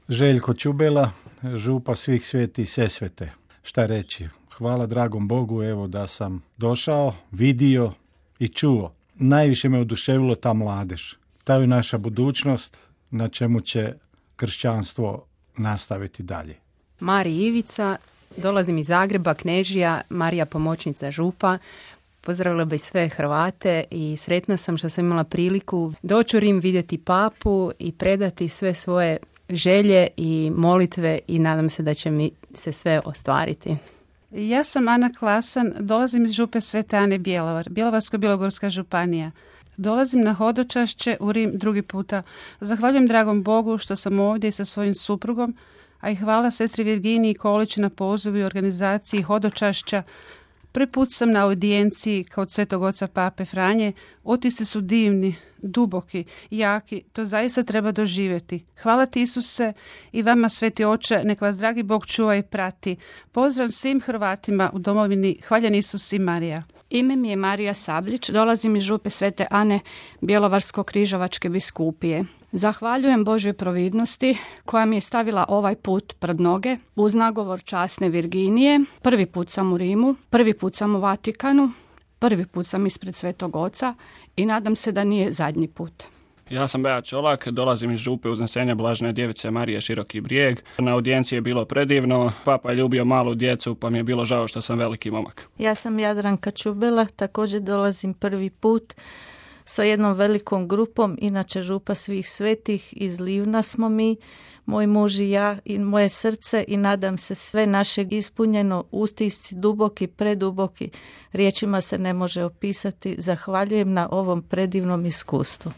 Željko Čubela, župa Svih Svetih Sesvete. Šta reći? Hvala dragom Bogu, evo da sam došao, vidio i čuo. Najviše me oduševilo ta mladež. Ta je naša budućnost, na čemu će kršćanstvo nastaviti dalje. Mari Ivica, dolazim iz Zagreba, Knežija, Marija pomoćnica župa. Pozdravila bi sve Hrvate i sretna sam što sam imala priliku doći u Rim, vidjeti papu i predati sve svoje želje i molitve i nadam se da će mi se sve ostvariti. Ja sam Ana Klasan, dolazim iz župe Svete Ane Bjelovar, Bjelovarsko-bilogorska županija. Dolazim na hodočašće u Rim drugi puta. Zahvaljujem dragom Bogu što sam ovdje sa svojim suprugom, a i hvala sestri Virginiji Kolić na pozivu i organizaciji hodočašća. Prvi put sam na audijenciji kod Svetog oca Pape Franje. Otisci su divni, duboki, jaki. To zaista treba doživjeti. Hvala ti Isuse i vama Sveti Oče, nek vas dragi Bog čuva i prati. Pozdrav svim Hrvatima u domovini. Hvaljen Isus i Marija. Ime mi je Marija Sablić, dolazim iz župe Svete Ane Bjelovarsko-križevačke biskupije. Zahvaljujem Božoj providnosti koja mi je stavila ovaj put pred noge uz nagovor časne Virginije. Prvi put sam u Rimu, prvi put sam u Vatikanu, prvi put sam ispred Svetog Oca i nadam se da nije zadnji put. Ja sam Beat Čolak, dolazim iz župe Uznesenja Blažene Djevice Marije Široki Brijeg. Na audijenciji je bilo predivno, papa je ljubio malu djecu pa mi je bilo žao što sam veliki momak. Ja sam Jadranka Čubela, također dolazim prvi put sa jednom velikom grupom, inače župa Svih Svetih, iz Livna smo mi, moj muž i ja i moje srce i nadam se sve našeg ispunjeno, utisci duboki, preduboki, riječima se ne može opisati. Zahvaljujem na ovom predivnom iskustvu.